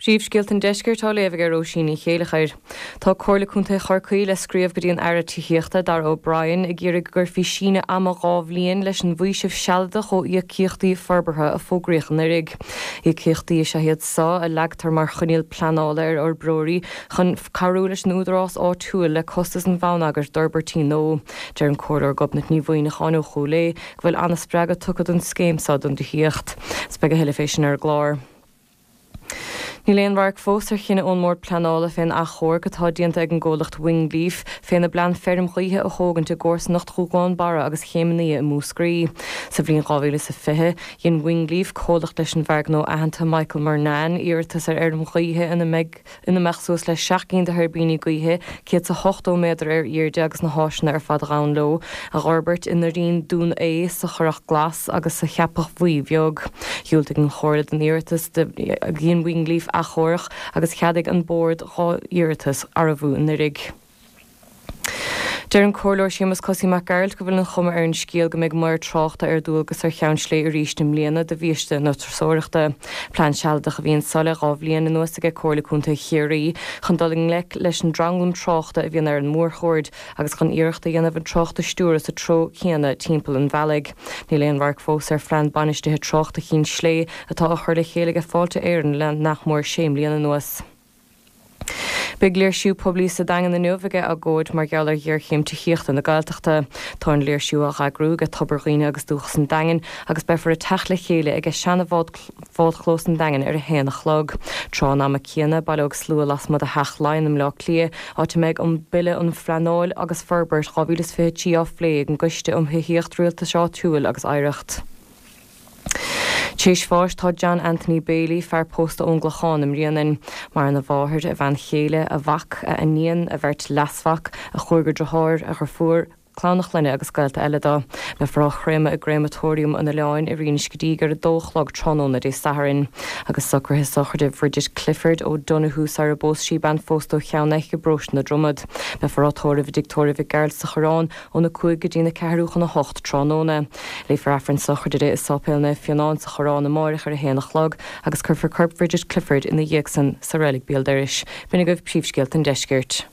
Príomhscéalta an Deiscirt á léamh ag Róisín Ní Chéileachair. Tá Comhairle Contae Chorcaí le scríobh go dtí an Aire Tithíochta, Darragh O'Brien, ag iarraidh go gcuirfí síneadh ama 2 bhliain leis an bhfaoiseamh sealadach ó íocaíochtaí forbartha a fógraíodh anuraidh. Íocaíochtaí is ea iad so a leagtar mar choinníoll pleanála ar fhorbróirí chun cabhrú leis an údarás áitiúil le costas an bhonneagair d'fhorbairtí nua. Deir an Comhairleoir Gobnait Ní Mhuimhneacháin ó Chúil Aodha go bhfuil ana-spreagadh tugtha don scéim so don dtithíocht. Is beidh a thuilleadh fé sin ar an gclár. Níl aon radharc fós ar chinneadh ón mBord Pleanála fén achomharc atá déanta ag an gcomhlacht Wingleaf féna bplean feirm ghaoithe a thógaint i gcomharsanacht Dhúgán Barra agus Chéim an Fhia i Múscraí. Sa bhliain 2020, dhein Wingleaf, comhlacht leis an bhfear gnó aitheanta Michael Murnane, iarratas ar fheirm ghaoithe ina mbeidh ina mbeadh suas le 7 gcinn de thuirbíní gaoithe, 180 méadar ar airde agus na háiseanna ar fad a ghabhann leo, a dh'fhorbairt i nDoirín Dún Aodha, sa Churrach Glas agus sa Cheapach Bhuí Bheag. Dhiúltaigh an Chomhairle don iarratas, dhein Wingleaf achomharc agus cheadaigh an Bord dhá iarratas arbh fhiú anuraidh. Deir an Comhairleoir Séamus Cosaí Mac Gearailt go bhfuil an chuma ar an scéal go mbeidh maor tráchta ar dualgas ar Cheann Slé arís i mbliana de bhiaiste na turasóireachta. Plean sealadach a bhí anso le 2 bhliain anuas aige Comhairle Contae Chiarraí chun dul i ngleic leis an dtranglam tráchta a bhíonn ar an mórchuaird agus chun iarracht a dhéanamh an trácht a stiúradh sa treo céanna timpeall an bhealaigh. Níl aon radharc fós ar phlean bainistithe tráchta Chinn Slé atá á chur le chéile aige Fáilte Éireann le nach mór sé mbliana anuas. Beidh léirsiú poiblí sa Daingean inniu aige agóid mar gheall ar ghéarchéim tithíochta na Gaeltachta. Tá an léirsiú á eagrú aige Tobar Dhaoine agus Dúchas an Daingin agus beifear ag teacht le chéile aige seana-bhádchlós an Daingin ar a haon a chlog. Tráth an ama céanna, baileoidh slua lasmuigh de Theach Laighean i mBleá Cliath, áit a mbeidh an Bille um Phleanáil agus Forbairt 2023 á phlé ag an gCoiste um Thithíocht, Rialtas Áitiúil agus Oidhreacht. T'éis bháis tá John Anthony Bailey, fear pósta ón gClochán i mBréanainn. Maireann a mháthair, a bhean chéile, a mhac, a iníon, a bheirt leasmhac, a chúigear driotháir, a dhriofúr, clann a chlainne agus gaolta eile dó. Beifear á chréamadh i gCréamatóiriam an Oileáin i Rinn Scidígh ar 2 a chlog tráthnóna Dé Sathairn. Agus socruithe sochraide Bhridget Clifford O'Donoghue sar a bpós sí, bean phósta ó Cheann Eich i bparóiste na Dromad. Beifear á tórramh i dTigh Tórraimh Mhic Gearailt sa Choireán óna 5 go dtína ceathrú chun a hocht tráthnóna. Léifear Aifreann sochraide di i Sáipéal Naomh Fionán sa Choireán amáireach ar a haon a chlog agus cuirfear corp Bhridget Clifford ina dhiaidh san sa reilig béal dorais. B'in agaibh príomhscéalta an deiscirt.